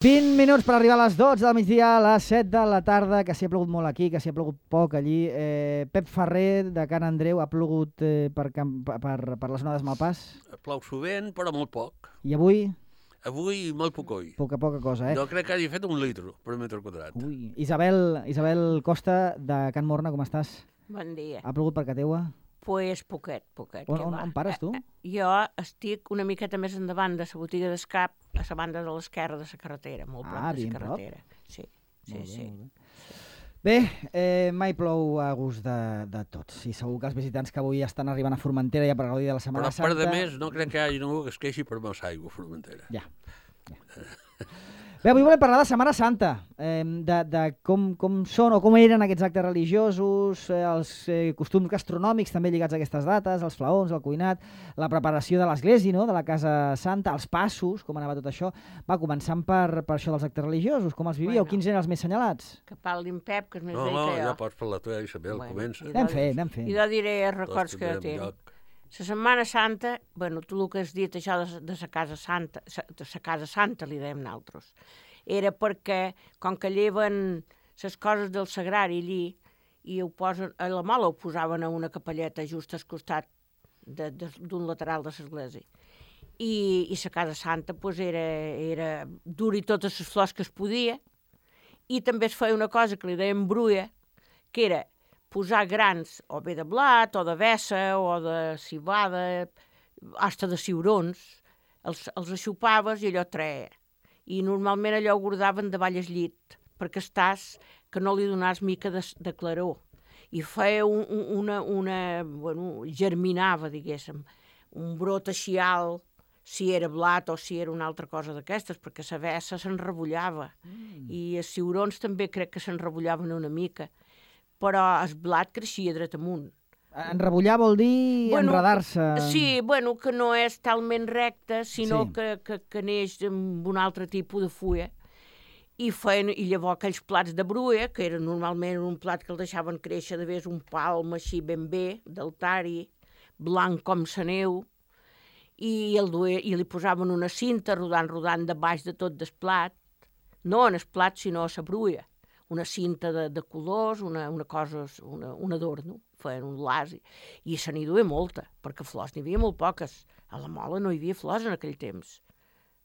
20 minuts per arribar a les 12 del migdia, a les 7 de la tarda, que s'hi ha plogut molt aquí, que s'hi ha plogut poc allí. Pep Ferrer, de Can Andreu, ha plogut per les onades Malpàs. Plou sovint, però molt poc. I avui? Avui molt poc. Poca cosa, No crec que hagi fet 1 litre per metre quadrat. Ui. Isabel Costa, de Can Morna, com estàs? Bon dia. Ha plogut per casa teua? Pues poquet. On pares, tu? Jo estic una miqueta més endavant de la botiga d'Escap, a la banda de l'esquerra de la carretera, molt prop de la carretera. Sí. Bé, mai plou a gust de tots. I segur que els visitants que avui estan arribant a Formentera ja per gaudir de la Setmana Santa... Però per de més, no crec que hi hagi ningú que es queixi per massa aigua a Formentera. Ja. Bé, avui volem parlar de Setmana Santa, de com són o com eren aquests actes religiosos, els costums gastronòmics també lligats a aquestes dates, els flaons, el cuinat, la preparació de l'església, no?, de la Casa Santa, els passos, com anava tot això. Va, començant per això dels actes religiosos, com els vivíeu, quins eren els més senyalats? Que parli en Pep, que és més vell que jo. No, ja pots parlar tu, Isabel, comença. Anem fent. I jo diré els records que jo tinc. La Setmana Santa, bueno, tu el que has dit, això de la Casa Santa, li dèiem nosaltres, era perquè, com que lleven les coses del sagrari allí, i a la mola ho posaven a una capelleta just al costat d'un lateral de l'església. I la Casa Santa pues, era dur-hi totes les flors que es podia, i també es feia una cosa que li dèiem bruia, que era posar grans, o bé de blat, o de vessa, o de cibada, hasta de ciurons, els aixupaves i allò treia. I normalment allò ho guardaven davall el llit, perquè que no li donàs mica de claror. I feia germinava, diguéssim, un brot així alt, si era blat o si era una altra cosa d'aquestes, perquè la vessa s'enrebollava. I els ciurons també crec que s'enrebollaven una mica. Però el blat creixia dret amunt. Enrebollar vol dir enredar-se. Sí, que no és talment recte, sinó que neix amb un altre tipus de fulla. I llavors aquells plats de bruia, que era normalment un plat que el deixaven créixer de vés un palm així ben bé, d'altari, blanc com la neu, i li posaven una cinta rodant de baix de tot el plat, no en el plat, sinó a la bruia. Una cinta de colors, un adorno, feien un laç, i se n'hi duia molta, perquè flors n'hi havia molt poques. A la mola no hi havia flors en aquell temps.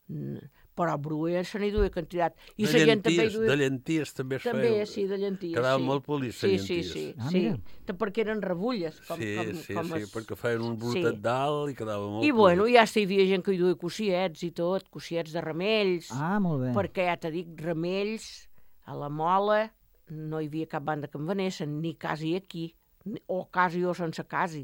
Però a bruia se n'hi duia quantitat. I de llenties també es feien. També, sí, de llenties. Quedaven molt polits, les llenties. Sí, perquè eren rebulles. Sí, perquè feien un brotet dalt i quedava molt polit. I ja hi havia gent que hi duia cossiets i tot, cossiets de ramells. Ah, molt bé. Perquè ja t'he dit, ramells... A la mola no hi havia cap banda que en venessin, ni quasi aquí, o quasi o sense quasi,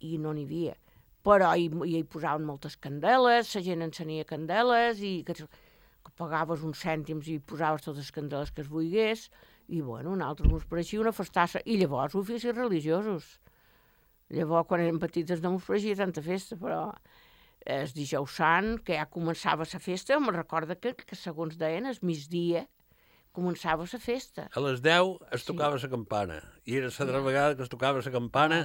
i no n'hi havia. Però hi posaven moltes candeles, la gent encenia candeles, i que pagaves uns cèntims i posaves totes les candeles que es volgués, i nosaltres ens pareixia una festassa. I llavors oficis religiosos. Llavors, quan érem petites no ens pareixia tanta festa, però el dijous sant, que ja començava la festa, me'n recorda que segons deien, el migdia, començava la festa. A les 10 es tocava la campana, i era la vegada que es tocava la campana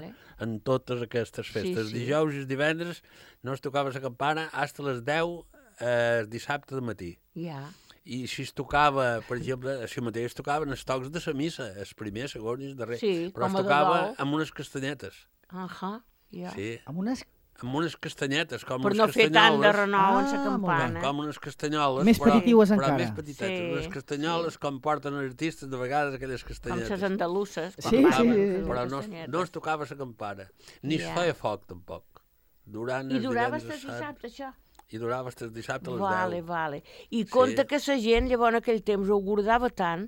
en totes aquestes festes. Dijous i divendres no es tocava la campana fins a les 10 dissabte de matí. I si es tocava, per exemple, si mateix es tocaven els tocs de la missa, el primer, segon i el darrer, però es tocava amb unes castanyetes. Sí. Amb unes castanyetes, com per unes no castanyoles. Per no fer tant de renou en la campana. Com unes castanyoles, més petitiues encara. Però més petitetes. Sí. Unes castanyoles com porten els artistes, de vegades, aquelles castanyetes. Com les andaluses. Sí. Però no es tocava la campana. Ni es feia foc, tampoc. I durava fins dissabte, això? I durava fins dissabte a les 10. Vale. I compte que la gent, llavors, en aquell temps, ho guardava tant,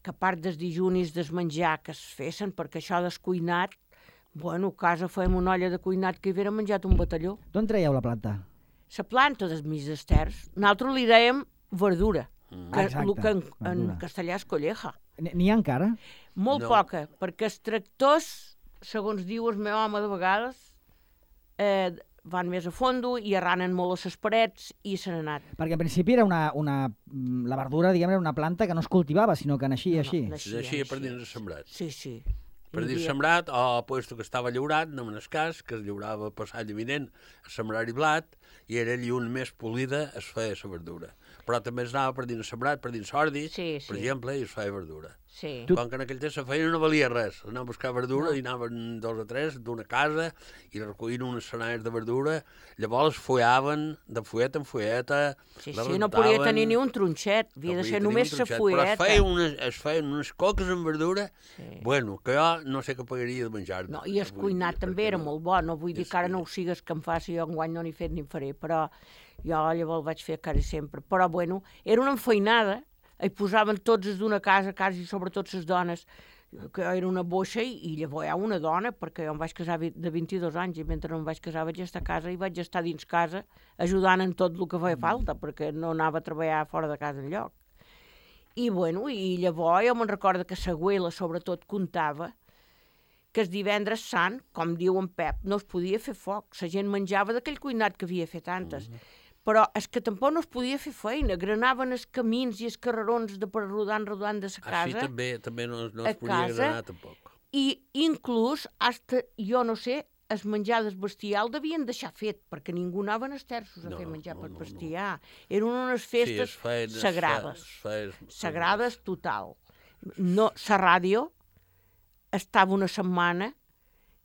que a part dels dijunis, des menjar que es fessin, perquè això descuinat, a casa fèiem una olla de cuinat que hi havia menjat un batalló. D'on traieu la planta? La planta dels mig d'esters. Nosaltres li dèiem verdura, que en castellà és colleja. N'hi ha encara? Molt poca, perquè els tractors, segons diu el meu home de vegades, van més a fondo i arranen molt a les parets i se n'ha anat. Perquè en principi era la verdura, diguem, era una planta que no es cultivava, sinó que naixia així. Naixia per dins el sembrat. Sí. Per dir sembrat, o puesto que estava llaurat, no en el cas, que es llaurava per l'any vinent a sembrar-hi blat, i era allí on més polida es feia la verdura. Però també es anava per dins sembrat, per dins ordi, per exemple, i es feia verdura. Sí. Com que en aquell temps la feina no valia res. Anaven a buscar verdura i anaven 2 o 3 d'una casa i recollien unes senalles de verdura, llavors follaven de fulleta en fulleta, no podia tenir ni un tronxet, havia de ser només la fulleta. Però es feien unes coques amb verdura, bueno, que jo no sé què pagaria de menjar-ne. No, i el cuinat també era molt bo, no vull dir que ara no ho sigues que em faci, jo enguany no n'he fet ni en faré, però jo llavors vaig fer quasi sempre. Però bueno, era una enfeinada, hi posaven tots els d'una casa, quasi sobretot les dones, que era una boixa, i llavors hi ha una dona, perquè jo em vaig casar de 22 anys, i mentre no em vaig casar vaig estar a casa, i vaig estar dins casa ajudant en tot el que feia falta, perquè no anava a treballar fora de casa enlloc. I bueno, i llavors jo me'n recordo que l'abuela sobretot contava que el divendres sant, com diu en Pep, no es podia fer foc, la gent menjava d'aquell cuinat que havia fet antes. Però és que tampoc no es podia fer feina, granaven els camins i els carrerons per rodant de la casa. Així també no es podia granar tampoc. I inclús, jo no sé, el menjar del bestiar el devien deixar fet, perquè ningú anava als terços a fer menjar per bestiar. Eren unes festes sagrades, sagrades total. La ràdio estava una setmana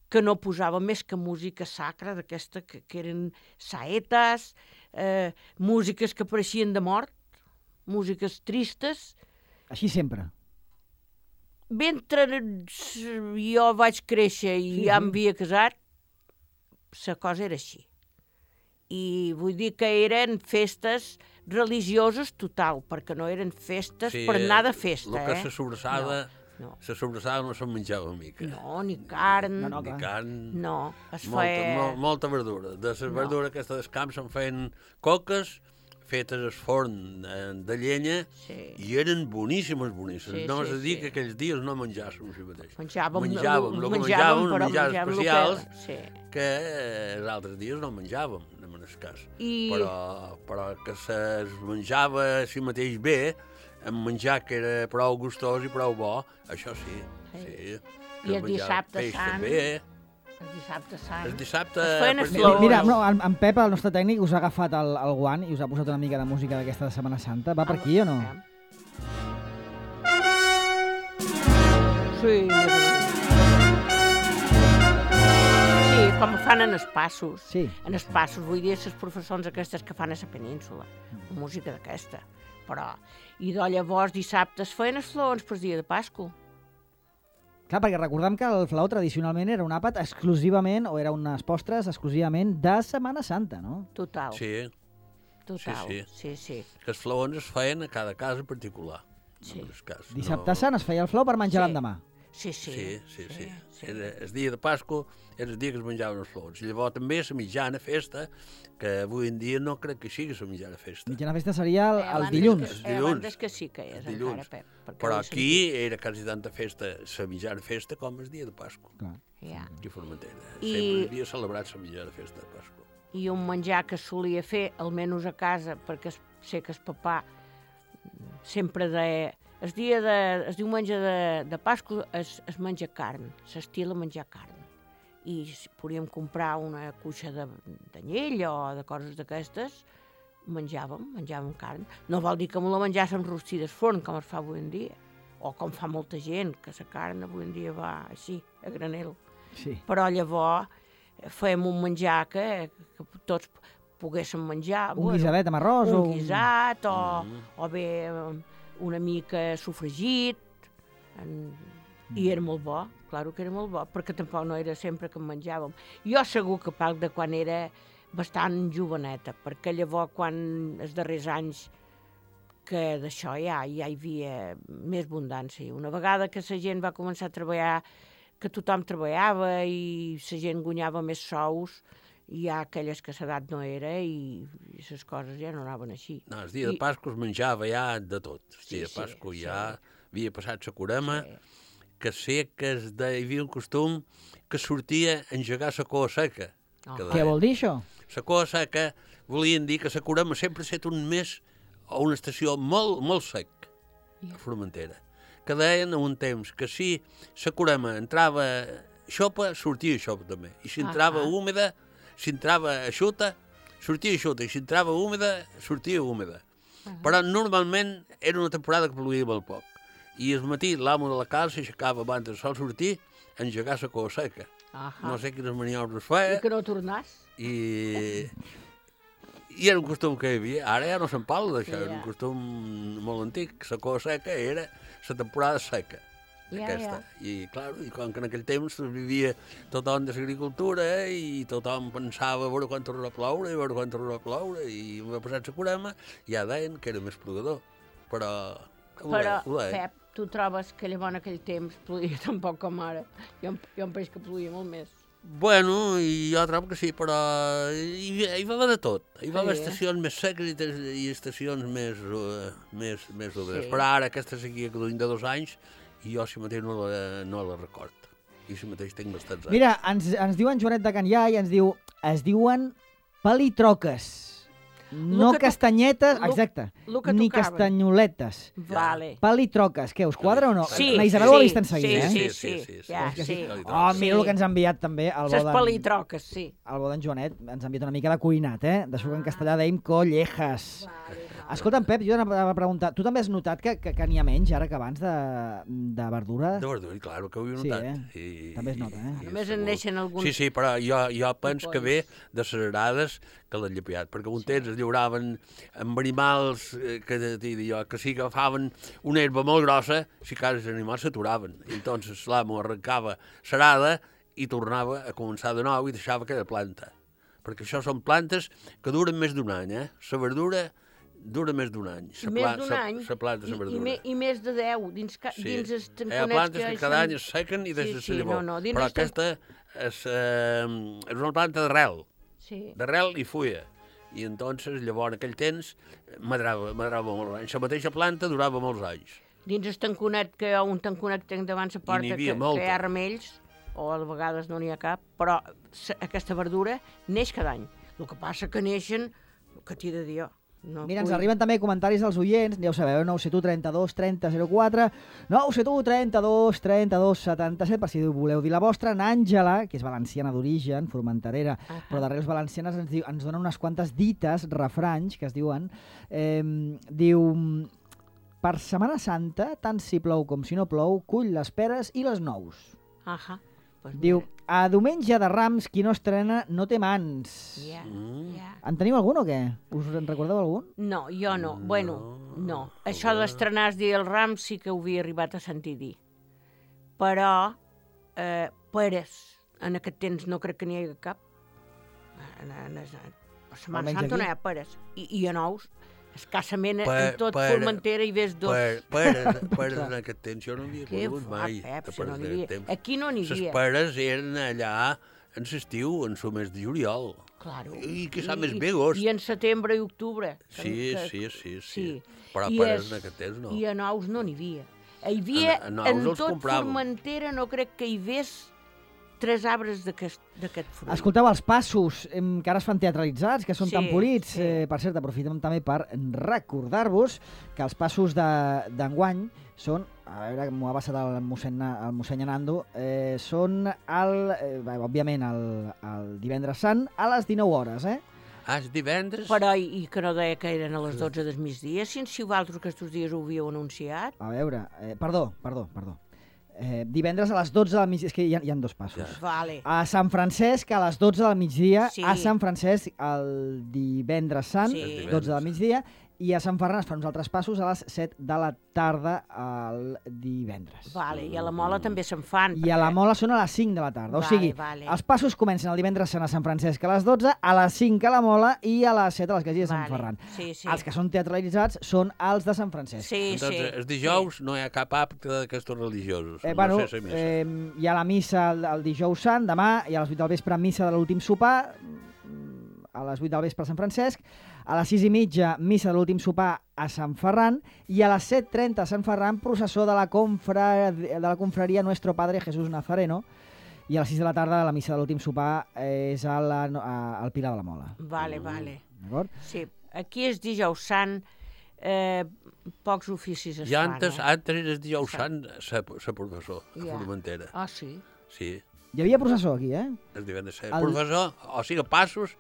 que no posava més que música sacra, d'aquesta que eren saetes, músiques que pareixien de mort, músiques tristes. Així sempre? Mentre jo vaig créixer i ja m'havia casat, la cosa era així. I vull dir que eren festes religioses total, perquè no eren festes per anar de festa. El que se sobrassada... La sobrassada no se'n menjava mica. No, ni carn. Ni carn. No, es feia... Molta verdura. De la verdura aquesta dels camps se'n feien coques, fetes al forn de llenya, i eren boníssimes. No és a dir que aquells dies no menjàssim així mateix. Menjàvem menjars especials que els altres dies no menjàvem, en el cas. Però que es menjava així mateix bé, amb menjar que era prou gustós i prou bo, això sí. I el dissabte sant... El dissabte sant... El dissabte... Mira, en Pep, el nostre tècnic, us ha agafat el guant i us ha posat una mica de música d'aquesta de Setmana Santa. Va per aquí o no? Sí, com fan en els passos. En els passos, vull dir, les professors aquestes que fan a la península. Música d'aquesta. Però, i llavors dissabte es feien els flaons per dia de Pasqua. Clar, perquè recordem que el flaó tradicionalment era un àpat exclusivament, o era unes postres exclusivament de Setmana Santa, no? Total. Sí. Total, sí. Que els flaons es feien a cada casa en particular. Sí. Dissabte sant es feia el flaó per menjar l'endemà. Sí. Era el dia de Pasqua, era el dia que es menjaven els flaons. I llavors també la mitjana festa, que avui en dia no crec que sigui la mitjana festa. Mitjana festa seria el dilluns. Abans que sí que és encara, Pep. Però aquí era quasi tanta festa, la mitjana festa, com el dia de Pasqua. Aquí a Formentera. Sempre havia celebrat la mitjana festa de Pasqua. I un menjar que solia fer, almenys a casa, perquè sé que el papà sempre deia... El diumenge de Pasqua es menja carn, s'estila menjar carn. I si podíem comprar una cuixa d'anyell o de coses d'aquestes, menjàvem carn. No vol dir que me la menjàssim rostida al forn, com es fa avui en dia, o com fa molta gent, que la carn avui en dia va així, a granel. Però llavors fèiem un menjar que tots poguéssim menjar. Un guisadet amb arròs? Un guisat, o bé una mica sofregit, i era molt bo, claro que era molt bo, perquè tampoc no era sempre que en menjàvem. Jo segur que parlo de quan era bastant joveneta, perquè llavors quan els darrers anys que d'això ja hi havia més abundància. Una vegada que la gent va començar a treballar, que tothom treballava i la gent guanyava més sous, hi ha aquelles que l'edat no era i les coses ja no anaven així. No, el dia de Pasqua es menjava ja de tot. El dia de Pasqua ja havia passat la curema, que sé que hi havia un costum que sortia a engegar la coa seca. Què vol dir això? La coa seca volien dir que la curema sempre ha estat un mes o una estació molt, molt sec a Formentera. Que deien a un temps que si la curema entrava xopa, sortia xopa també. I si entrava húmeda, si entrava eixuta, sortia eixuta. I si entrava húmeda, sortia húmeda. Però normalment era una temporada que plovia molt poc. I al matí l'amo de la casa s'aixecava abans del sol sortir a engegar la cova seca. No sé quines maniobres feia. I que no tornàs. I era un costum que hi havia. Ara ja no se'n parla d'això, era un costum molt antic. La cova seca era la temporada seca. Aquesta. I, clar, i com que en aquell temps vivia tothom de l'agricultura i tothom pensava a veure quan tornarà a ploure, i va passar la curema, ja deien que era més plogador. Però Pep, tu trobes que llavors en aquell temps ploia tan poc com ara? Jo em pareix que ploia molt més. Bueno, i jo trobo que sí, però hi va haver de tot. Hi va haver estacions més seques i estacions més obres. Però ara aquesta sequia que duim de 2 anys, i jo si mateix no la record. I si mateix tinc bastants anys. Mira, ens diu en Joanet de Can Iai, es diuen palitroques. No castanyetes, exacte, ni castanyoletes. Vale. Palitroques, què, us quadra o no? Sí. La Isabel ho ha vist en seguida, Sí. Oh, mira el que ens ha enviat també el bo d'en... Les palitroques, sí. El bo d'en Joanet ens ha enviat una mica de cuinat, d'això que en castellà dèiem collejas. Escolta'm, Pep, jo anava a preguntar, tu també has notat que n'hi ha menys ara que abans de verdura? De verdura, clar, que ho he notat. Sí, també es nota, Només en neixen alguns... Sí, però jo penso que ve de les arades que l'han llepiat, perquè un temps es lliuraven amb animals que si agafaven una herba molt grossa, si quasi els animals s'aturaven. Entonces l'amo arrencava l'arada i tornava a començar de nou i deixava aquella planta. Perquè això són plantes que duren més d'un any, La verdura dura més d'un any. Més d'un any? La planta, la verdura. I més de 10, dins els tanconets hi ha plantes que cada any es sequen i deixen la llavor. Però aquesta és una planta d'arrel. D'arrel i fulla. I entonces, llavors, en aquell temps, madrava molts anys. La mateixa planta durava molts anys. Dins el tanconet, que hi ha un tanconet que tinc davant la porta, que hi ha ramells, o a vegades no n'hi ha cap, però aquesta verdura neix cada any. El que passa que neixen, que t'hi he de dir jo. Mira, ens arriben també comentaris dels oients, ja ho sabeu, 971 32 30 04, 971 32 32 77, per si voleu dir la vostra. En Àngela, que és valenciana d'origen, formenterera, però d'arrels valencianes, ens dona unes quantes dites, refranys, que es diuen. Diu, per Setmana Santa, tant si plou com si no plou, cull les peres i les nous. Diu, a diumenge de Rams, qui no estrena no té mans. En teniu algun o què? Us en recordeu algun? No, jo no. Bueno, no. Això d'estrenar el dia del Rams sí que ho havia arribat a sentir dir. Però, peres, en aquest temps no crec que n'hi hagi cap. A Setmana Santa no hi ha peres. I a nous, escassament, en tot Formentera hi ves dos. Peres en aquest temps jo no havia conegut mai. Aquí no n'hi havia. Les peres eren allà en l'estiu, en el mes de juliol. Claro. I que sap més bé agost. I en setembre i octubre. Sí. Però peres en aquest temps no. I a nous no n'hi havia. Hi havia, en tot Formentera no crec que hi ves 3 arbres d'aquest fruit. Escolteu, els passos, que ara es fan teatralitzats, que són tan polits. Per cert, aprofitem també per recordar-vos que els passos d'enguany són, a veure, m'ho ha passat el mossèn Anando, són, òbviament, el divendres sant a les 19 hores, és divendres? Però, i que no deia que eren a les 12 del migdia, si vosaltres aquests dies ho havíeu anunciat? A veure, perdó. Divendres a les 12 del migdia, és que hi ha 2 passos. Vale. A Sant Francesc a les 12 del migdia, a Sant Francesc el divendres sant, 12 del migdia, i a Sant Ferran es fan uns altres passos a les 7 de la tarda el divendres. Vale, i a la Mola també se'n fan. I a la Mola són a les 5 de la tarda. O sigui, els passos comencen el divendres sant a Sant Francesc a les 12, a les 5 a la Mola i a les 7 a l'església de Sant Ferran. Els que són teatralitzats són els de Sant Francesc. Entonces, els dijous no hi ha cap acte d'aquestos religiosos. Hi ha la missa el dijous sant, demà, i a les 8 del vespre missa de l'últim sopar, a les 8 del vespre a Sant Francesc, a les 6:30 missa de l'últim sopar a Sant Ferran i a les 7:30 a Sant Ferran processó de la confraria Nuestro Padre Jesús Nazareno i a les 6 de la tarda la missa de l'últim sopar és al Pilar de la Mola. Vale. D'acord? Sí, aquí és dijous sant, pocs oficis es fan. Antes era dijous sant ser professor a Formentera. Ah, sí? Sí. Hi havia processó aquí, El divendres sant. Professor, o sigui, passos,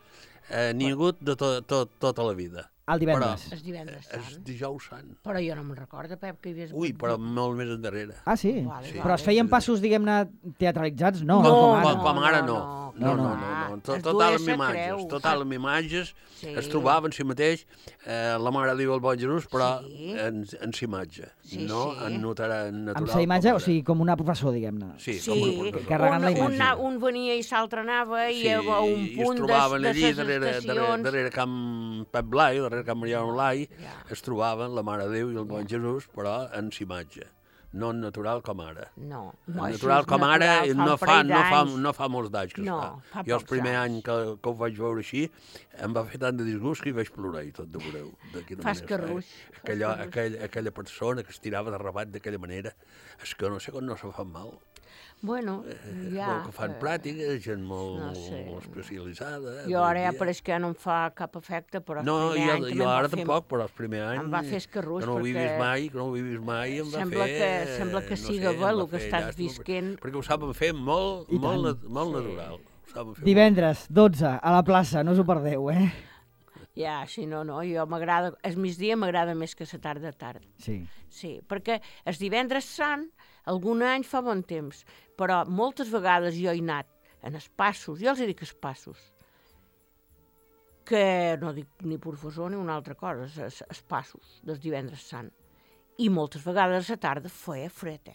n'hi ha hagut de tota la vida. El divendres. El divendres sant. El dijous sant. Però jo no me'n recordo, Pep, que hi havies... Ui, però molt més endarrere. Ah, sí? Vale, Però es feien passos, diguem-ne, teatralitzats? No, com ara no. No. Total amb imatges, es trobava en si mateix la Mare de Déu el Bon Jesús, però en si imatge, no en natural. Amb sa imatge, o sigui, com una professor, diguem-ne. Sí, com una professor. Carregant la imatge. Un venia i l'altre anava i a un punt de les estacions... Darrere Camp Pep Blai, darrere Camp Mariano Blai, es trobaven la Mare de Déu i el Bon Jesús, però en si imatge. No natural com ara. No. Natural com ara no fa molts d'anys que es fa. Jo el primer any que ho vaig veure així em va fer tant de disgust que hi vaig plorar i tot de veureu. Fas carruix. Aquella persona que es tirava de rabat d'aquella manera, és que no sé com no se fa mal. Bueno, ja... Que fan pràctiques, gent molt especialitzada. Jo ara ja pareix que no em fa cap efecte, però el primer any també jo ara tampoc, però el primer any... Em va fer escarrús, que no ho he vist mai, em va fer... Sembla que siga bé el que estàs visquent. Perquè ho saben fer molt natural. Divendres, 12, a la plaça, no us ho perdeu, eh? Ja, sí, no, jo m'agrada... El migdia m'agrada més que la tarda. Sí. Sí, perquè el divendres sant, algun any fa bon temps, però moltes vegades jo he anat en els passos, jo els dic els passos, que no dic ni professor ni una altra cosa, els passos dels divendres sant. I moltes vegades a la tarda feia fred,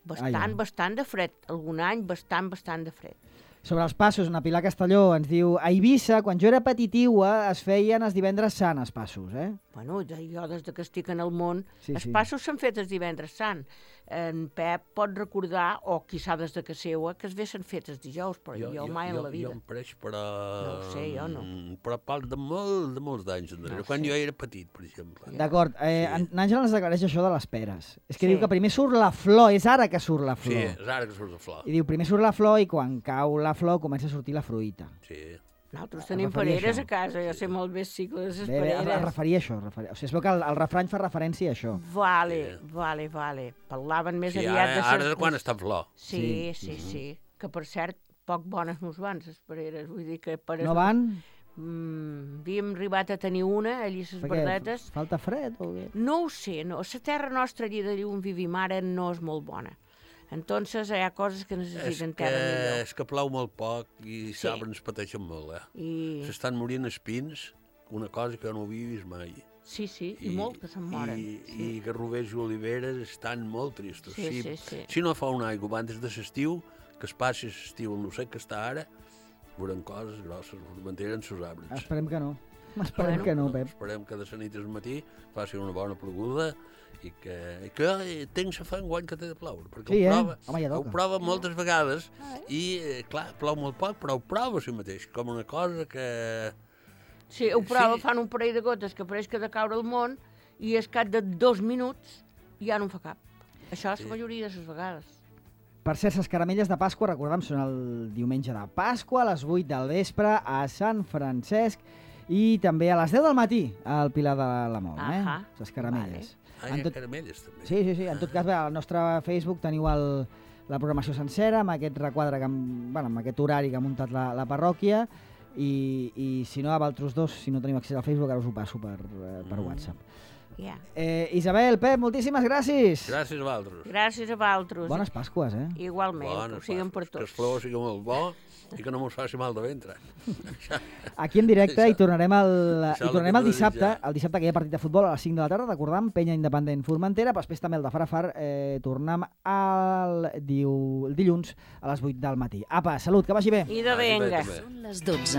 bastant de fred. Algun any bastant de fred. Sobre els passos, una Pilar Castelló ens diu a Eivissa, quan jo era petitiua, es feien els divendres sant, els passos, eh? Bueno, jo des que estic en el món, els passos s'han fet els divendres sant. En Pep pot recordar, o quizà des de casa seva, que es vessin fets els dijous, però jo mai en la vida. Jo em pareix, però... No ho sé, jo no. Però parlo de molts d'anys enrere, quan jo era petit, per exemple. D'acord, n'Àngela ens aclareix això de les peres. És que diu que primer surt la flor, és ara que surt la flor. Sí, és ara que surt la flor. I diu, primer surt la flor i quan cau la flor comença a sortir la fruita. Sí. Nosaltres tenim pereres a casa, jo sé molt bé el cicle de les pereres. Es referia a això. O sigui, es veu que el refrany fa referència a això. Vale. Parlaven més aviat de... Ara és quan està en flor. Sí. Que, per cert, poc bones no van, les pereres. Vull dir que... No van? Havíem arribat a tenir una, allí les verdetes. Falta fred o què? No ho sé, no. La terra nostra allí d'allí on vivim ara no és molt bona. Entonces hi ha coses que necessiten terra millor. És que plou molt poc i els arbres pateixen molt, S'estan morint els pins, una cosa que no havia vist mai. Sí, i molt que se'n moren. I garrovers i oliveres estan molt tristos. Sí. Si no fa un aigua abans de l'estiu, que es passi l'estiu en el sec que està ara, veuran coses grosses, mantenen els arbres. Esperem que no. Esperem que no, Pep. Esperem que de la nit al matí faci una bona ploguda i que tinc la fe enguany que té de ploure, perquè ho prova moltes vegades i, clar, plou molt poc, però ho prova si mateix, com una cosa que... Sí, ho prova, fan un parell de gotes que pareix que ha de caure al món i al cap de 2 minuts ja no en fa cap. Això és la majoria de les vegades. Per cert, les caramelles de Pasqua, recordem, són el diumenge de Pasqua, a les 8 del vespre, a Sant Francesc, i també a les 10 del matí, al Pilar de la Mol, les caramelles. Caramelles, també. Sí. En tot cas, al nostre Facebook teniu la programació sencera, amb aquest requadre, amb aquest horari que ha muntat la parròquia, i si no, a vosaltres dos, si no teniu accés al Facebook, ara us ho passo per WhatsApp. Isabel, Pep, moltíssimes gràcies. Gràcies a vosaltres. Gràcies a vosaltres. Bones Pasques, Igualment, que ho siguin per tots. Que el flor sigui molt bo i que no mos faci mal de ventre. Aquí en directe i tornarem el dissabte, que hi ha partit de futbol a les 5 de la tarda, recordam, Penya Independent Formentera, però després també el de Farafar, tornem el dilluns a les 8 del matí. Apa, salut, que vagi bé. I de venga. Són les 12.